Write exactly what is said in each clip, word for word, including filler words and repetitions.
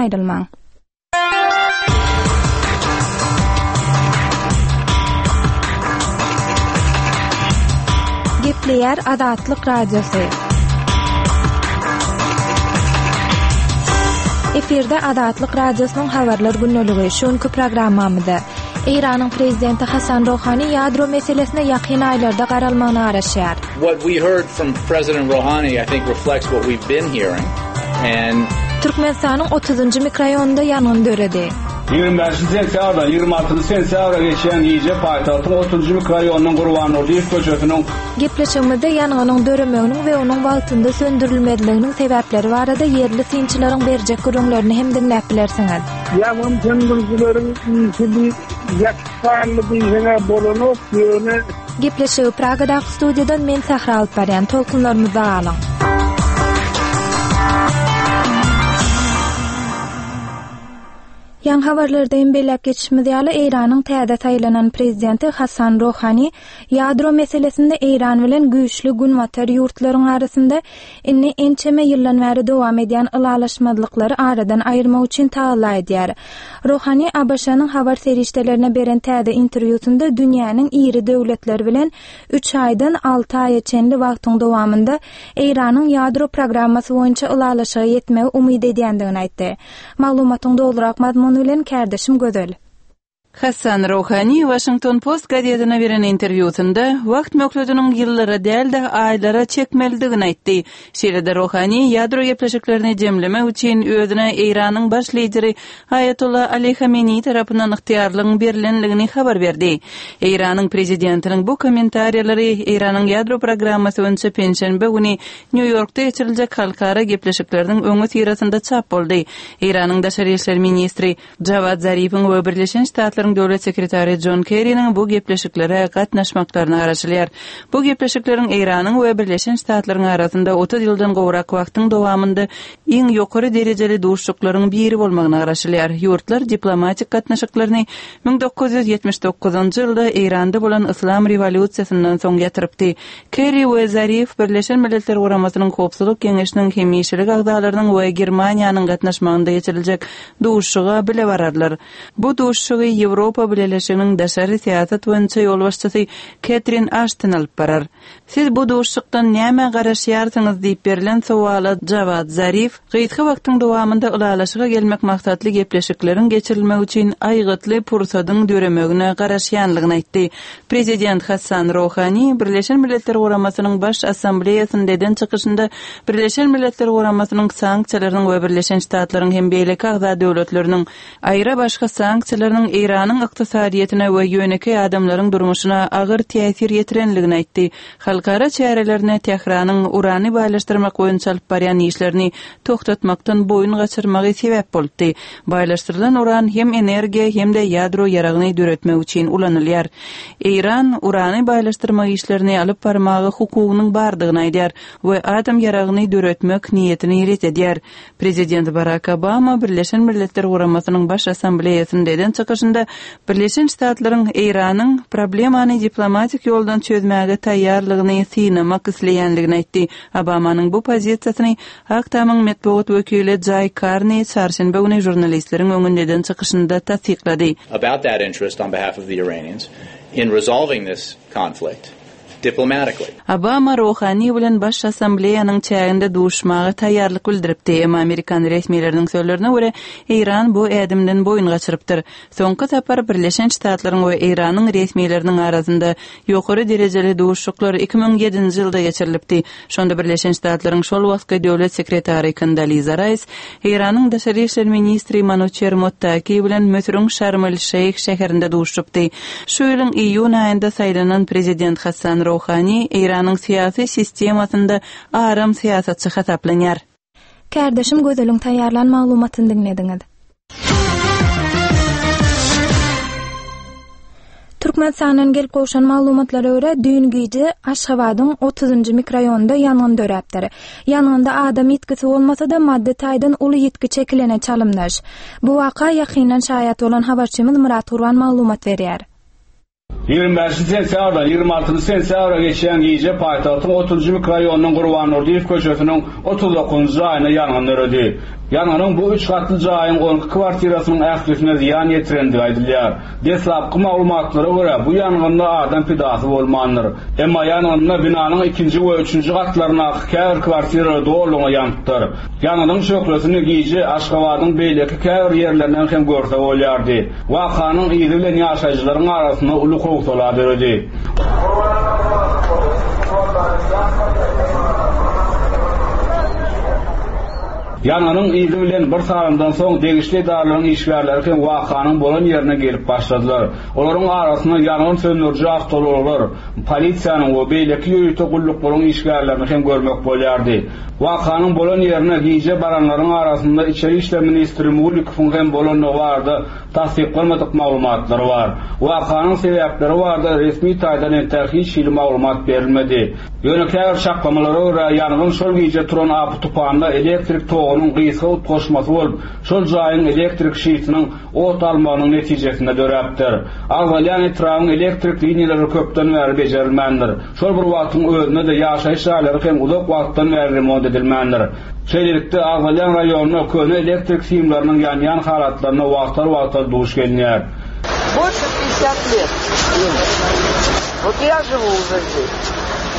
aýrylmaň. Gepleýär Azatlyk Radiosy. Efirde Azatlyk Radiosynyň habarlar gündeligi. Şu günki programmamyzda Eýranyň prezidenti Hasan Rohani ýadro meselesine ýakyn aýlarda garalmagyna garaşýar. What we heard from President Rouhani, I think, reflects what we've been hearing. And Türkmenistanyň otuzynjy mikroraýonynda ýangyn döredi. Ýigrimi bäşinji sentýabrdan ýigrimi altynjy sentýabra geçýän gije paýtagtyň otuzynjy mikroraýonynyň Gurban Durdyýew köçesiniň Gepleşigimizde ýangynyň döremeginiň we onuň wagtynda söndürilmezliginiň sebäpleri barada ýerli synçylaryň berjek gürrüňlerini hem diňläp bilersiňiz. Ýangyn söndürijileriň işini ýaksanly diýseňe bolanok, ýöne Gepleşigi Pragadaky studiýadan men Sähra alyp barýan. Tolkunlarymyzda galyň. Ýaňy habarlarda hem belläp geçişimiz ýaly, Eýranyň täze saýlanan prezidenti Hasan Rohani ýadro meselesinde Eýran bilen güýçli günbatar ýurtlaryň arasynda indi ençeme ýyldan bäri dowam edýän ylalaşmazlyklary aradan aýyrmak üçin tagalla edýär. Rohani A B Ş-nyň habar serişdelerine beren täze interwýusynda dünýäniň iri döwletleri bilen üç aýdan alty aýa çenli wagtyň dowamynda Eýranyň ýadro programmasy boýunça ylalaşyga ýetmegi umyt edýändigini aýtdy. Maglumatyň dolurak mazmuny bilen kärdeşim Gözel. Hasan Rohani Washington Post gazetine beren interwýusynda wagt möhletiniň ýyllara däl-de aýlara çekmelidigini aýtdy. Şeýle-de Rohani ýadro gepleşiklerini jemlemek üçin özüne Eýranyň baş lideri Aýatollah Ali Hamenei tarapyndan ygtyýarlygyň berilenligini habar berdi. Eýranyň prezidentiniň bu kommentariýalary Eýranyň ýadro programmasy boýunça penşenbe güni Nýu-Ýorkda geçiriljek halkara gepleşikleriniň öňi syrasynda çap boldy. Eýranyň daşary işler ministri Jawad Zarifiň we Birleşen Ştatlaryň döwlet sekretary John Kerry'niň bu gepleşiklere gatnaşmaklaryna garaşylýar. Bu gepleşikleriň Eýranyň we Birleşen Ştatlaryň arasynda otuz ýyldan gowrak wagtyň dowamynda iň ýokary derejeli duşuşyklaryň biri bolmagyna garaşylýar. Ýurtlar diplomatik gatnaşyklaryny müň dokuz ýüz ýetmiş dokuzynjy ýylda Eýranda bolan Yslam rewolýusiýasyndan soň ýatyrypdy. Kerry we Zarif Birleşen Milletler Guramasynyň Howpsuzlyk Geňeşiniň hemişelik agzalarynyň we Germaniýanyň gatnaşmagynda geçiriljek duşuşyga bile bararlar. Bu duşuşygy Ýewropa Bileleşiginiň daşary syýasat boýunça ýolbaşçysy Ketrin Ashton alyp barar. Siz bu duşuşykdan näme garaşýarsyňyz diýip berilen sowala Jawad Zarif gysga wagtyň dowamynda ylalaşyga gelmek maksatly gepleşikleriň geçirilmegi üçin aýgytly pursadyň döremegine garaşýanlygyny aýtdy. Prezident Hasan Rohani Birleşen Milletler Guramasynyň Baş Assambleýasynda eden çykyşynda Birleşen Milletler Guramasynyň sanksiýalarynyň we Birleşen Ştatlaryň hem beýleki agza döwletleriniň aýra başga sanksiýalarynyň Eýranyň ykdysadyýetine we ýönekeý adamlaryň durmuşyna agyr täsir ýetirenligini aýtdy. Halkara çärelerine Tähranyň urany baýlaşdyrmak boýunça alyp barýan işlerini toxtatmakdan boýun gaçyrmagy sebäp boldy. Baýlaşdyrylan uran hem energiýa hem-de ýadro ýaragyny döretmek üçin ulanylýar. Eýran urany baýlaşdyrmak işlerini alyp barmaga hukugynyň bardygyny aýdýar we adam ýaragyny döretmek niýetini ret edýär. Prezident Barack Obama Birleşen Milletler Guramasynyň Baş Assambleýasynda eden çykyşynda Birleşen Ştatlaryň Eýranyň problemany diplomatik ýoldan çözmäge taýýarlygyny synamak isleýänligini aýtdy. Obamanyň bu pozisiýasyny Ak Tamyň metbugat wekili Jay Carney çarşenbe güni žurnalistleriň öňünde eden çykyşynda tassyklady. About that interest on behalf of the Iranians in resolving this conflict diplomatically. Obama Rohani bilen Baş Assambleýanyň çäginde duşmaga taýýarlyk bildiripdi. Emma Amerikan resmileriniň sözlerine görä Eýran bu ädimden boýun gaçyrypdyr. Soňky sapar Birleşen Ştatlaryň we Eýranyň resmileriniň arasynda ýokary derejeli duşuşyklar iki müň ýedinji ýylda geçirilipdi. Şonda Birleşen Ştatlaryň şol wagtky döwlet sekretary Kondoliza Rice, Eýranyň daşary işler ministri Manuçer Mottaki bilen Müsüriň Şarm el-Şeýh şäherinde duşupdy. Şu ýylyň iýun aýynda saýlanan prezident Hasan Rohani Eýranyň syýasy sistemasynda aram syýasatçy hasaplanýar. Kärdeşim Gözeliň taýýarlan maglumatyny diňlediňiz. Türkmenistandan gelip gowşan maglumatlara görä düýn gije Aşgabadyň otuzynjy mikroraýonynda ýangyn döräpdir. Ýangynda adam ýitgisi bolmasa-da maddy taýdan uly ýitgi çekilene çalymdaş. Bu waka ýakyndan şaýat bolan habarçymyz Murat Gurban maglumat berýär. Ýigrimi bäşinji sentýabrdan ýigrimi altynjy sentýabra geçýän gije paýtagtyň otuzynjy mikroraýonynyň Gurban Durdyýew köçesiniň otuz dokuzynjy jaýynda ýangyn döredi. Ýangynyň bu üç gatly jaýyň on iki kwartirasynyň ählisine zyýan ýetirendigi aýdylýar. Deslapky maglumatlara görä, bu ýangynda adam pidasy bolmandyr. Emma ýangynda binanyň ikinji we üçünji gatlaryndaky käbir kwartiralar dolulygyna ýanypdyr. Ýangynyň şöhlesini gije Aşgabadyň beýleki käbir ýerlerinden hem görse bolýardy. Wakanyň yzy bilen ýaşaýjylaryň arasynda uly howsala döredi. Ýangynyň yzy bilen bir sagatdan soň degişli edaralaryň işgärleri hem wakanyň bolan ýerine gelip başladylar. Olaryň arasynda ýangyn söndüriji awtoulaglar, polisiýanyň we beýleki ýörite gulluklaryň işgärlerini hem görmek bolýardy. Wakanyň bolan ýerine gije baranlaryň arasynda Içeri işler ministri Mulikowyň hem bolandygy barada tassyklanmadyk maglumatlar bar. Wakanyň sebäpleri barada resmi taýdan entek hiç hili maglumat berilmedi. Ýöne käbir çaklamalara görä ýangyn şol gije turan apy tupanda elektrik togunyň gysga utgaşmasy bolup, şol jaýyň elektrik şitiniň ot almagynyň netijesinde döräpdir. Agzalýan etrabyň elektrik liniýalary köpden bäri bejerilmändir. Şol bir wagtyň özünde-de ýaşaýyş jaýlary hem uzak wagtdan bäri remont edilmändir. Şeýlelikde agzalýan raýonda köne elektrik simleriniň ýanýan halatlaryna wagtal-wagtal duş gelinýär. Больше пятьдесят лет им. Вот я живу уже здесь.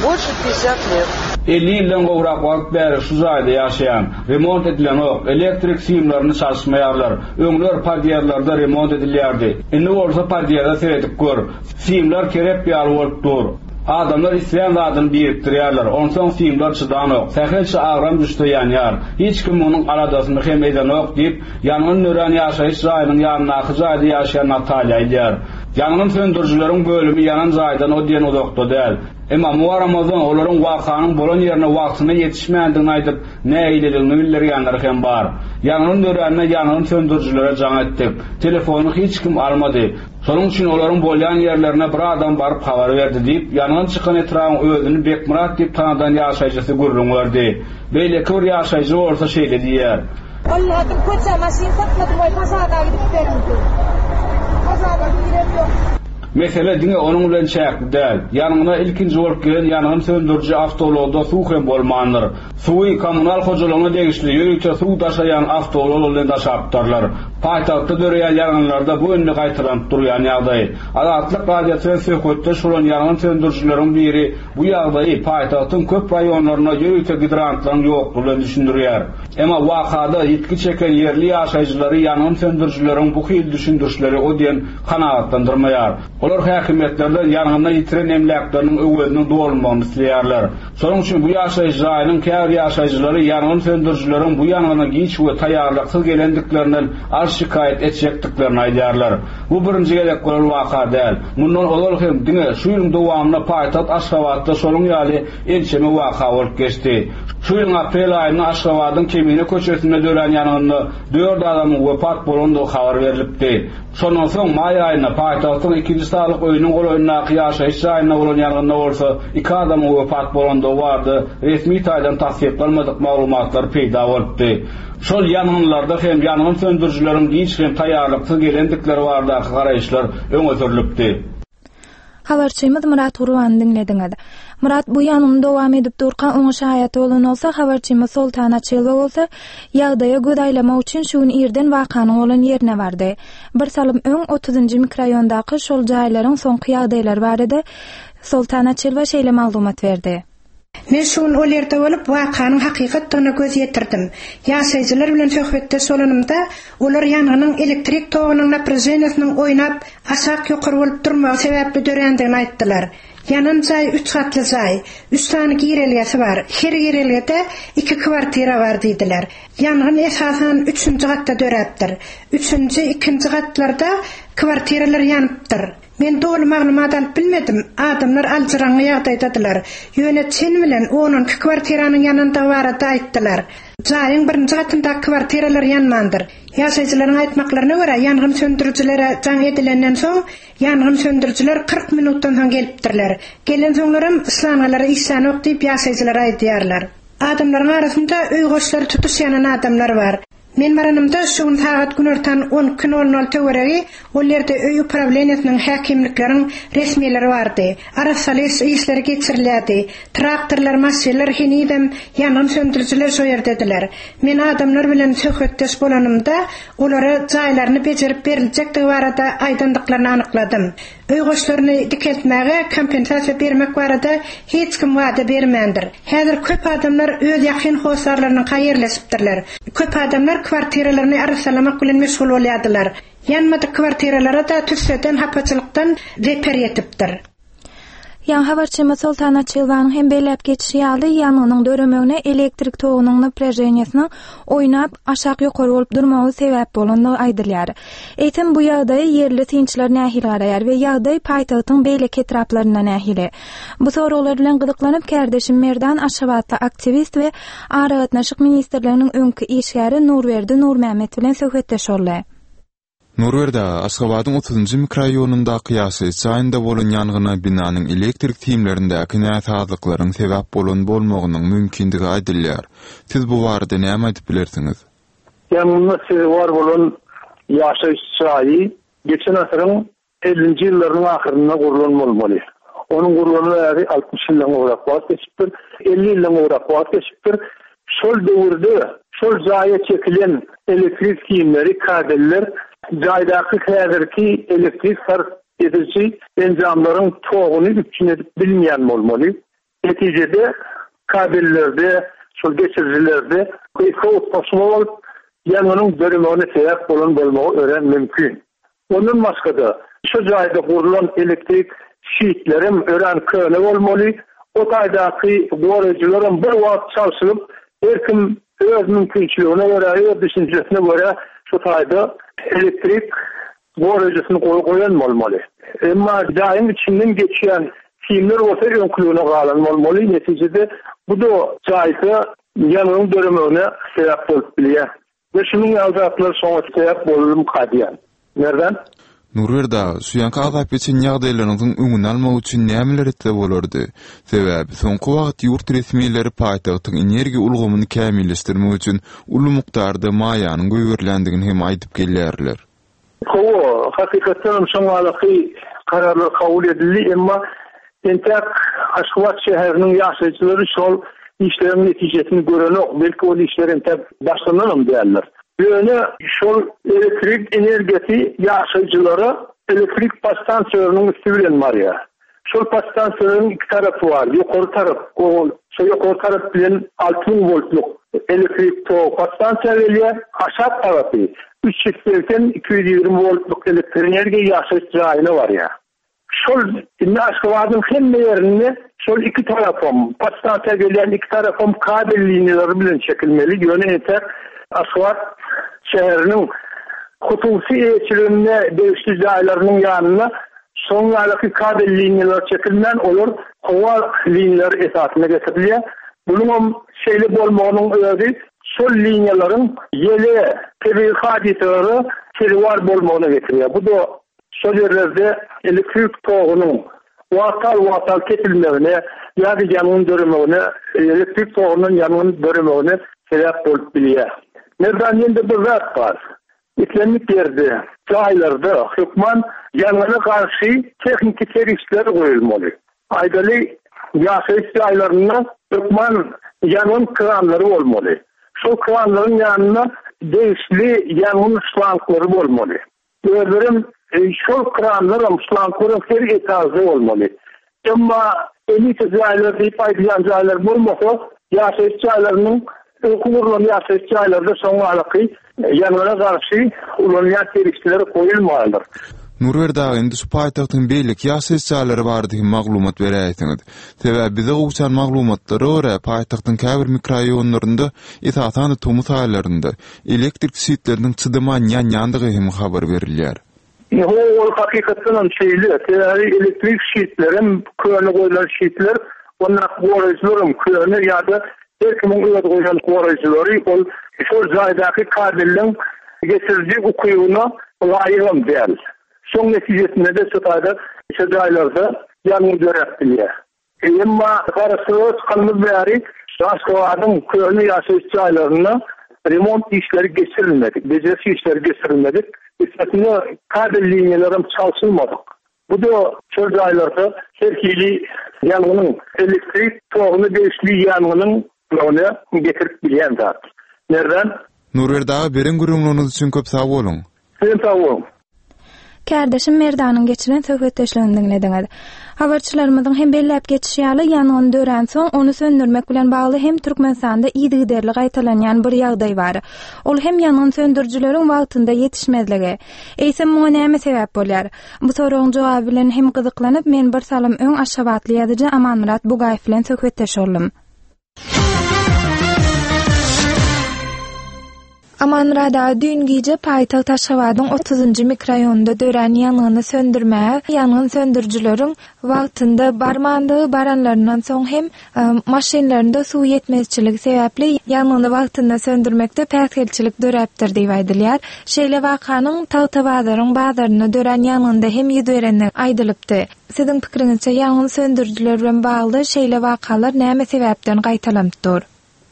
Больше пятьдесят лет. elli ýyldan gowrak wagt bäri şu jaýda ýaşaýan. Remont edilenok, elektrik simlerini çalyşmaýarlar. Öňler podýezlerde remont edilýärdi. Indi bolsa podýezde seredip gör. Simler kerep ýaly bolup dur. Adamlar isleýän zadyny birikdirýärler. Onsoň simler çydanok. Sähelçe agram düşse ýanýar. Hiç kim munuň aladasyny hem edenok diýip, ýangyn dörän ýaşaýyş jaýynyň ýanyndaky jaýda ýaşaýan Natalýa aýdýar. Ýangyn söndürijileriň bölümi ýanan jaýdan o diýen uzakda däl. Emma muaramazdan olaryň wakanyň bolan ýerine wagtynda ýetişmändigini aýdyp, nägileligini bildirýänler hem bar. Ýangyn dörände ýangyn söndürijilere jaň etdik. Telefony hiç kim almady. Şonuň üçin olaryň bolýan ýerlerine bir adam baryp habar berdi diýip, ýangyn çykan etrabyň özüni Bekmyrat diýip tanadan ýaşaýjysy gürrüň berdi. Beýleki bir ýaşaýjy bolsa şeýle diýýär. Vallahi köçe maşyn satmadım, oý pazarda gidip bermedi. Pazarda girem ýok. Mesele diňe onuň bilen çäkli däl. Ýangyna ilkinji bolup gelen ýangyn söndüriji awtoulagda suw hem bolmandyr. Suwy kommunal hojalygyna degişli ýörite suw daşaýan awtoulag bilen daşapdyrlar. Paýtagtda döreýän ýangynlarda bu indi gaýtalanyp durýan ýagdaý. Azatlyk Radiosy bilen söhbetdeş bolan ýangyn söndürijileriň biri bu ýagdaýy paýtagtyň köp raýonlarynda ýörite gidrantlaryň ýoklugy bilen düşündirýär. Emma wakada ýitgi çeken ýerli ýaşaýjylary ýangyn söndürijileriň bu hil düşündirişleri o diýen kanagatlandyrmaýar. Olar häkimiýetlerden ýangynda ýitiren emläkleriniň öweziniň dolunmagyny isleýärler. Şonuň üçin bu ýaşaýyş jaýynyň käbir ýaşaýjylary ýangyn söndürijileriň bu ýangyna giç we taýýarlyksyz gelendiklerinden arz şikaýat etjekdiklerini aýdýarlar. Bu birinji gezek bolan waka däl. Mundan ozal hem diňe şu ýylyň dowamynda paýtagt Aşgabatda şonuň ýaly ençeme waka bolup geçdi. Şu ýylyň aprel aýynda Aşgabadyň Kemine köçesinde dörän ýangynda dört adamyň wepat bolandygy habar berilipdi. Şondan soň maý aýynda paýtagtyň ikinji saglyk öýüniň golaýyndaky ýaşaýyş jaýynda bolan ýangynda bolsa iki adamyň wepat bolandygy barada resmi taýdan tassyklanmadyk maglumatlar peýda bolupdy. Şol ýangynlarda hem ýangyn söndürijileriň giç hem taýýarlyksyz gelendikleri baradaky garaýyşlar öňe sürülipdi. Habarçymyz Murat Gurbany diňlediňiz. Murat bu ýangyn dowam edip durka oňa şaýat bolan bolsa, habarçymyz Soltan Açylowa bolsa ýagdaýa göz aýlamak üçin şu gün irden wakanyň bolan ýerine bardy. Bir salym öň otuzynjy mikroraýondaky şol jaýlaryň soňky ýagdaýlary barada Soltan Açylowa şeýle maglumat berdi. Men şu gün ol ýerde bolup wakanyň hakykatdygyna göz ýetirdim. Ýaşaýjylar bilen söhbetdeş bolanymda, olar ýangynyň elektrik togunyň naprejeniýasynyň oýnap aşak ýokary bolup durmagy sebäpli dörändigini aýtdylar. Ýanan jaý üç gatly jaý, üç sany girelgesi bar. Her girelgede iki kwartira bar diýdiler. Ýangyn esasan üçünji gatda döräpdir. Üçünji, ikinji gatlarda kwartiralar ýanypdyr. Men doly maglumat alyp bilmedim. Adamlar aljyraňňy ýagdaýdadylar. Ýöne çen bilen on on iki kwartiranyň ýanandygy barada aýtdylar. Jaýyň birinji gatyndaky kwartiralar ýanmandyr. Ýaşaýjylaryň aýtmaklaryna görä, ýangyn söndürijilere jaň edilenden soň ýangyn söndürijiler kyrk minutdan soň gelipdirler. Gelen soňlaram yslangalara işlänok diýip ýaşaýjylar aýdýarlar. Adamlaryň arasynda öý goşlary tutuş ýanan adamlar bar. Men baranymda şu gün sagat günortan on iki nol nol töweregi ol ýerde öý uprawleniýasynyň häkimlikleriň resmileri bardy. Arassalyş işleri geçirilýärdi. Traktorlar, maşynlar henizem ýangyn söndürijiler şo ýerdediler. Men adamlar bilen söhbetdeş bolanymda olara jaýlaryny bejerip beriljekdigi barada aýdandyklaryny anykladym. Öý goşlaryny dikeltmäge kompensasiýa bermek barada hiç kim wada bermändir. Häzir köp adamlar öz ýakyn hossarlarynyň ýerleşipdirler. Köp adamlar kwartiralaryny arassalamak bilen meşgul bolýardylar. Ýanmadyk kwartiralara da tüsseden, hapaçylykdan zeper ýetipdir. Ýaň habarçymyz Soltan Açylwanyň hem belläp geçişi ýaly, ýangynyň döremegine elektrik togunyň naprejeniýesiniň oýnap aşak ýokary bolup durmagy sebäp bolandygy aýdylýar. Eýsem bu ýagdaýy ýerli synçylar nähili garaýar we ýagdaý paýtagtyň beýleki etraplarynda nähili? Bu soraglar bilen gyzyklanyp kärdeşim Merdan Aşgabatda aktiwist we Aragatnaşyk ministrliginiň öňki işgäri Nurberdi Nurmämmet bilen söhbetdeş boldy. Nurberdi, Aşgabadyň otuzynjy mikroraýonyndaky ýaşaýyş jaýynda bolan ýangyna binanyň elektrik simlerindäki näsazlyklaryň sebäp bolan bolmagynyň mümkindigi aýdylýar. Siz bu barada näme aýdyp bilersiňiz? Ýangyna sezewar bolan ýaşaýyş jaýy geçen asyryň ellinji ýyllarynyň ahyrynda gurlan bolmaly. Onuň gurlany bäri altmyş ýyldan gowrak wagt geçipdir, elli ýyldan gowrak wagt geçipdir. Şol döwürde şol jaýa çekilen elektrik simleri, kabeller jaýdaky häzirki elektrik sarp ediji enjamlaryň toguny üpjün edip bilmeýän bolmaly. Netijede kabellerde, şol geçirijilerde gysga utgaşma bolup, ýangynyň döremegine sebäp bolan bolmagy örän mümkin. Ondan başga-da şu jaýda gurlan elektrik şitlerim örän köne bolmaly. O taýdaky goraýjylaram bir wagt çalşylyp, her kim öz mümkinçiligine görä, öz düşünjesine görä şu taýda elektrik goraýjysyny goýan bolmaly. Emma jaýyň içinden geçýän simler bolsa öňküligine galan bolmaly. Netijede bu da jaýda ýangynyň döremegine sebäp bolup bilýär. Ve şunuň ýaly zatlar soňa sebäp bolum kadýan. Nerden? Nurberdi, şu ýanky azap geçen ýagdaýlarynyň öňüni almak üçin nämeler etse bolardy? Sebäbi soňky wagt ýurt resmileri paýtagtyň energiýa ulgamyny kämilleşdirmek üçin uly mukdarda maýanyň goýberiländigini hem aýdyp gelýärler. Hawa, hakykatdan şoňalaky kararlar kabul edildi, emma entek Aşgabat şäheriniň ýaşaýjylary şol işleriň netijesini görenok, belki ol işler entek başlananam däldir. Ýöne şol elektrik energiýasy ýaşaýjylara elektrik podstansiýalarynyň üsti bilen barýar. Şol podstansiýalaryň iki tarapy bar. Ýokary tarap, ol şo ýokary tarap bilen alty müň voltluk elektrik tok podstansiýa gelýär, aşak tarapy üç ýüz segsen iki ýüz ýigrimi voltluk elektrik energiýa ýaşaýyş jaýyna barýar. Şol indi Aşgabadyň hemme ýerinde şol iki tarapam, podstansiýa gelýän iki tarapam kabel liniýalary bilen çekilmeli. Ýöne entek Aşgabat şäheriniň hususy eýeçiliginde degişli jaýlarynyň ýanynda soňraky kabel liniýalary çekilmän, olar howa liniýalary esasynda getirilýär. Bunuň şeýle bolmagynyň özi şol liniýalaryň ýele, tebigy hadysalara sezewar bolmagyna getirýär. Bu da şol ýerlerde elektrik togunyň wagtal-wagtal kesilmegine ýa-da ýangyn döremegine, elektrik togundan ýangyn döremegine sebäp bolup bilýär. Merdan ýende bir zat bar. Islendik ýerde, jaýlarda hökman ýangyna garşy tehniki serişdeler goýulmaly. Aýdaly ýaşaýyş jaýlarynda hökman ýangyn kranlary bolmaly. Şol kranlaryň ýanynda degişli ýangyn şlanglary bolmaly. Özlerim şol kranlaram, şlanglaram her etajda bolmaly. Emma elite jaýlar diýip aýdylýan jaýlar bolmasa, ýaşaýyş jaýlarynyň öňki gurlan ýaşaýyş jaýlarda soňraky ýangyna garşy ulanylýan serişdeler goýulmalydyr. Nurberdi aga, indi şu paýtagtyň beýleki ýaşaýyş jaýlary barada hem maglumat beräýsiňiz. Sebäbi bize gowşan maglumatlara görä paýtagtyň käbir mikroraýonlarynda, esasan-da tomus aýlarynda elektrik şitleriniň çydaman ýanýandygy hem habar berilýär. Ýo, ol hakykatdan hem şeýle. Sebäbi elektrik şitlerim, köne goýlan şitler, ondan goraýjylarym köne ýa-da her kimiň öz goýan goraýjylary ol şol jaýdaky kabelleň geçiriji ukybyna laýygam däl. Şoň netijesinde de şu taýda şu jaýlarda ýangyn döräp bilýär. Emma garaşsyzlyk çykanymyz bäri Aşgabadyň köne ýaşaýyş jaýlarynda Remont işleri geçirilmedik, beceriş işleri geçirilmedik. Üstesine kabel liniýalaram çalşylmadyk. Bu da çöl jaýlarda her hili ýangynyň elektrik toguny degişli ýangynyň ýogyna getirip bilýän zat. Nerden? Nurberdi aga beren gürrüňleriňiz üçin köp sag boluň. Sizem sag boluň. Kärdeşim Merdanyň geçiren söhbetdeşligini diňlediňiz. Habarçylarymyzyň hem belläp geçişi ýaly, ýangyn dörän soň ony söndürmek bilen bagly hem Türkmenistanda yzygiderli gaýtalanýan bir ýagdaý bar. Ol hem ýangyn söndürijileriň wagtynda ýetişmezligi. Eýsem muňa näme sebäp bolýar? Bu soragyň jogaby bilen hem gyzyklanyp, men bir salym öň Aşgabatly ýazyjy Amanmyrat Bugaýew bilen söhbetdeş boldum. Amanmyrat aga, düýn gije paýtagt Aşgabadyň otuzynjy mikroraýonynda dörän ýangyny söndürmäge, ýangyn söndürijileriň wagtynda barmandygy, baranlaryndan soň hem, e, maşynlarynda suw ýetmezçiligi sebäpli ýangyny wagtynda söndürmekde päsgelçilik döräpdir diýip aýdylýar. Şeýle wakanyň Tagtabazaryň bazarynda dörän ýangynda hem ýüz berendigi aýdylypdy. Siziň pikiriňizçe ýangyn söndürijiler bilen bagly şeýle wakalar näme sebäpden gaýtalanyp dur?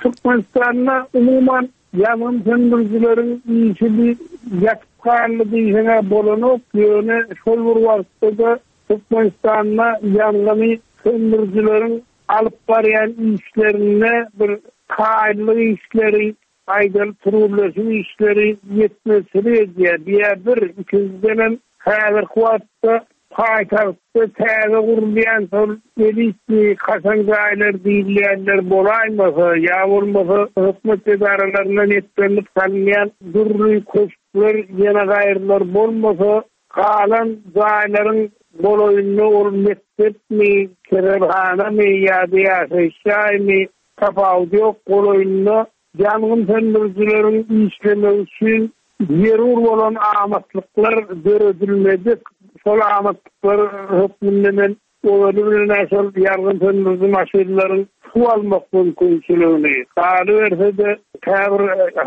Türkmenistanda umuman ýangyn söndürijileriň işi bir ýatyp galdy diýseňe bolanok, ýöne şol bir wagtda-da Türkmenistanda ýangyny söndürijileriň alyp barýan işlerinde bir kaýyllyk işleri, aýdaly türgünleşik işleri ýetmezçilik edýär. Diýär bir, ikinjiden häzirki wagtda paýtagtda täze gurulýan şol elitli kaşaň jaýlar diýilýänler bolaýmasa, ýa bolmasa hökümet edaralaryndan etlenip salynýan dürli köşkler, ýene gaýrylar bolmasa, galan jaýlaryň golaýynda ol mekdepmi, keselhanamy ýa-da ýaşaýyş jaýmy tapawudy ýok, golaýynda ýangyn söndürijileriň işlemegi üçin zerur bolan amatlyklar döredilmedik. Şol amatlyklar hökmünde men ozaly bilen şol ýangyn söndüriji maşynlaryň suw almak mümkinçiligini, galyberse-de käbir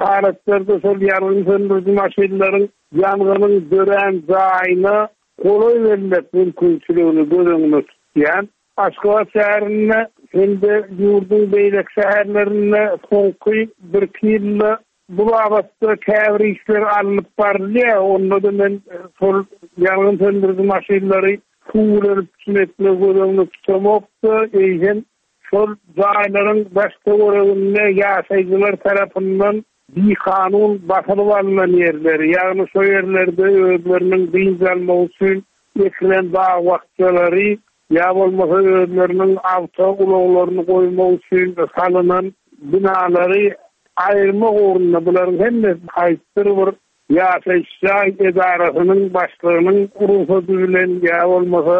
halatlarda şol ýangyn söndüriji maşynlaryň ýangynyň dörän jaýyna golaý bermek mümkinçiligini göz öňünde tutýan. Aşgabat şäherinde hem-de ýurduň beýleki şäherlerinde soňky bir iki ýylda bu babatda käbir işler alnyp barylýar. Onda-da men şol ýangyn söndüriji maşynlary suw bilen üpjün etmek göz öňünde tutamokda, eýsem şol jaýlaryň daş töwereginde ýaşaýjylar tarapyndan bikanun basylyp alynan ýerleri, ýagny şo ýerlerde özleriniň dynç almak üçin ekilen bag bakjalary ýa bolmasa özleriniň awto ulaglaryny goýmak üçin salynan binalary aýyrmak ugrunda bularyň hemmesi haýsydyr bir ýaşaýyş jaý edarasynyň başlygynyň rugsady bilen ýa bolmasa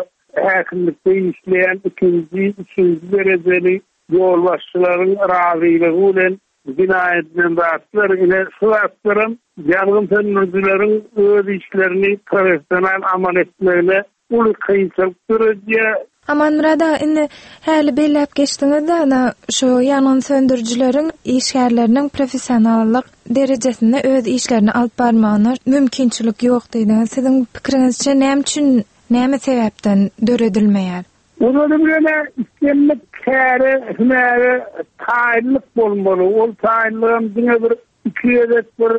häkimlikde işleýän ikinji, üçünji derejeli ýolbaşçylaryň razylygy bilen bina edilen zatlar, ine şu zatlaram ýangyn söndürijileriň öz işlerini professional amal etmegine uly kynçylyk döredýär. Amanmyrat aga, indi häli belläp geçdiňiz-de, ana şu ýangyn söndürijileriň işgärleriniň professionallyk derejesinde öz işlerini alyp barmagyna mümkinçilik ýok diýdiňiz. Siziň pikiriňizçe näme üçin, näme sebäpden döredilmeýär? Ozaly bilen islendik käre, hünäre taýynlyk bolmaly. Ol taýynlygam diňe bir iki gezek bir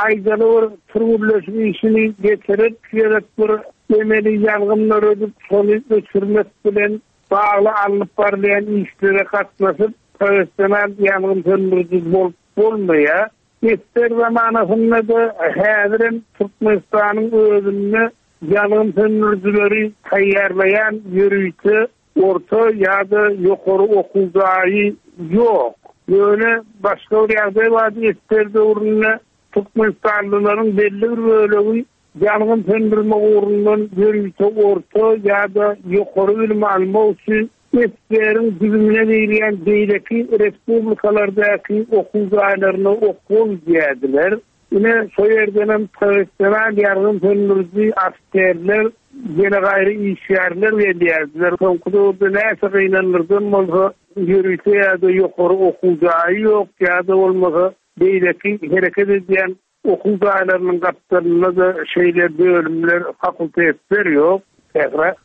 aýdaly bir türgünleşik işini getirip, iki gezek bir emeli ýangynlar ödüp, şony öçürmek bilen bagly alnyp barylýan işlere gatnaşyp, professional ýangyn söndüriji bolup bolmaýar. Ester zamanasynda-da häzirem Türkmenistanyň özünde ýangyn söndürijileri taýýarlaýan ýörite orta ýa-da ýokary okuw jaýy ýok. Ýöne başga bir ýagdaý bardy, ester döwründe Türkmenistanlylaryň belli bir bölegi ýangyn söndürme ugrundan ýörite orta ýa-da ýokary bilim almak üçin eseriň düzümine girýän beýleki respublikalardaky okuw jaýlaryna okuwa gidýärdiler. Ine şo ýerdenem professional ýangyn söndüriji askerler, ýene gaýry işgärler gelýärdiler. Soňky döwürde näçe gynandyrdan bolsa ýörite ýa-da ýokary okuw jaýy ýok ýa-da bolmasa beýleki hereket edýän okuw jaýlarynyň gapdalynda-da şeýle bölümler, fakultetler ýok. Sähra.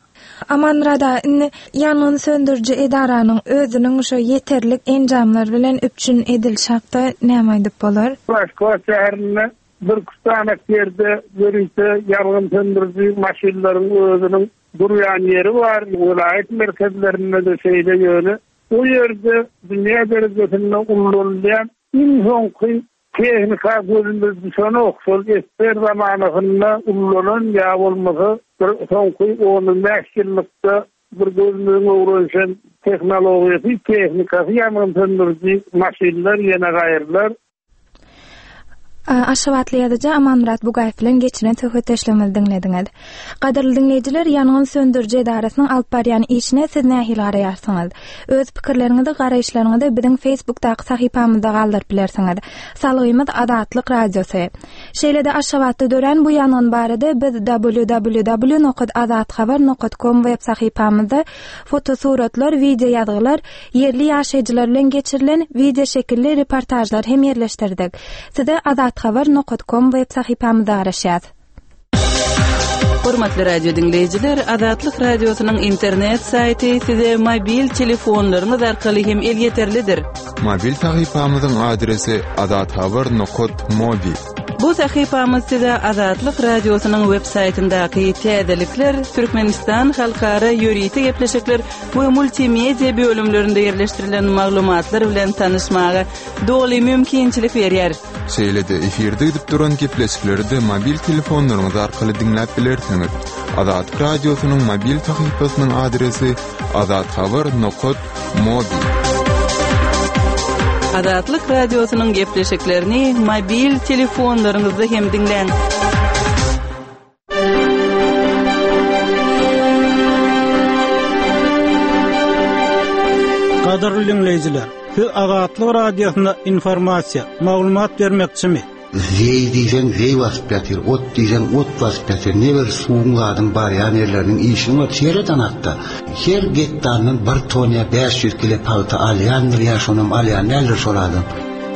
Amanmyrat aga, indi ýangyn söndüriji edaranyň özüniň şo ýeterlik enjamlar bilen üpjün edilişi hakda näme aýdyp bolar? Aşgabat şäherinde bir-iki sany ýerde ýörite ýangyn söndüriji maşynlaryň özüniň durýan ýeri bar. Welaýat merkezlerinde-de şeýle ýöne o ýerde dünýä derejesinde ulanylýan iň soňky tehnika gözümiz düşenok. Şol esger zamanasynda ulanan ýa bolmasa bir soňky on bäş ýyllykda bir gözümiziň öwrenişen tehnologiýasy, tehnikasy ýangyn söndüriji maşynlar ýene gaýrylar. Aşgabatly ýazyjy Amanmyrat Bugaýew bilen geçiren söhbetdeşligimizi diňlediňiz. Gadyrly diňleýjiler, ýangyn söndüriji edarasynyň alyp barýan işine siz nähili garaýarsyňyz? Öz pikirleriňizi, garaýyşlaryňyzy biziň Facebookdaky sahypamyzda galdyryp bilersiňiz. Salgymyz Azatlyk Radiosy. Şeýle-de Aşgabatda dörän bu ýangyn barada biz w w w nokta azathabar nokta com web sahypamyzda fotosuratlar, video ýazgylar, ýerli ýaşaýjylar bilen geçirilen video şekilli reportajlar hem ýerleşdirdik. Size azathabar nokta com web sahypamyzda garaşýas. Hormatly radio diňleýjiler, Azatlyk Radiosynyň internet saýty size mobil telefonlaryňyz arkaly hem elýeterlidir. Mobil sahypamyzyň adresi azathabar nokta mobi. Bu sahypamyz size Azatlyk Radiosynyň web saýtyndaky täzelikler, Türkmenistan halkara ýörite gepleşikler we multimedia bölümlerinde ýerleşdirilen maglumatlar bilen tanyşmaga doly mümkinçilik berýär. Şeýle-de efirde gidip duran gepleşikleri de mobil telefonlaryňyz arkaly diňläp bilersiňiz. Azatlyk Radiosynyň mobil sahypasynyň adresi azathabar nokta mobi. Azatlyk Radiosynyň gepleşiklerini mobil telefonlaryňyzda hem diňläň. Gadyrly dinleýjiler, siz Azatlyk Radiosyna informasiýa, maglumat bermekçimi? Zeý diýseň zeý basyp ýatyr, ot diýseň ot basyp ýatyr. Ne bir suwuň zadyň barýan ýerleriniň işini var, sereden hatda. Her gektardan bir ton ýa bäş ýüz kilo pagta alýandyr ýa şonam alýan däldir şol adam.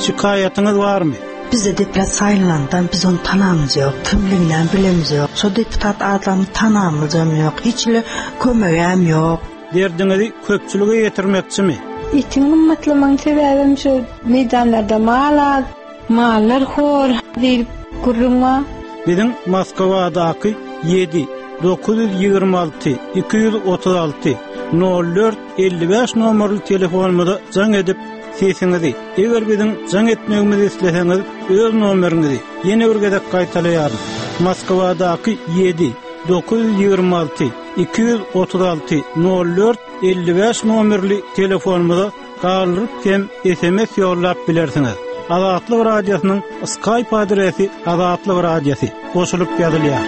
Şikaýatyňyz barmy? Bize deputat saýlandan biz onu tanamyz ýok, kimliginden bilemiz ýok. Şo deputat adamy tanamyzam ýok, hiç ile kömegem ýok. Derdiňizi köpçülige ýetirmekçimi? Etiň gymmatlamanyň sebäbim şu meýdanlarda mal az, mallar hor diýip gürrüň bar. Biziň Moskwadaky ýedi dokuz ýüz ýigrimi alty iki ýüz otuz alty nol dört elli bäş nomerli telefonumyza jaň edip sesiňizi, eger biziň jaň etmegimizi isleseňiz, öz nomeriňizi ýene bir gezek gaýtalaýaryn. Moskwadaky ýedi dokuz ýüz ýigrimi alty iki ýüz otuz alty nol dört elli bäş nomerli telefonumyza galdyryp hem S M S ýollap bilersiňiz. Azatlyk Radiosynyň Skype adresi Azatlyk Radiosy goşulyp ýazylýar.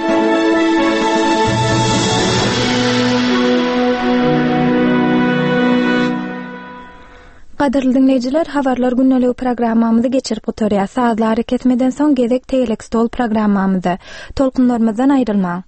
Gadyrly dinleýjiler, habarlar gündeligi programmamyzy geçirip gutarýar. Sazlary kesmeden soň gezek Tegelek stol programmamyzda. Tolkunlarymyzdan aýrylmaň.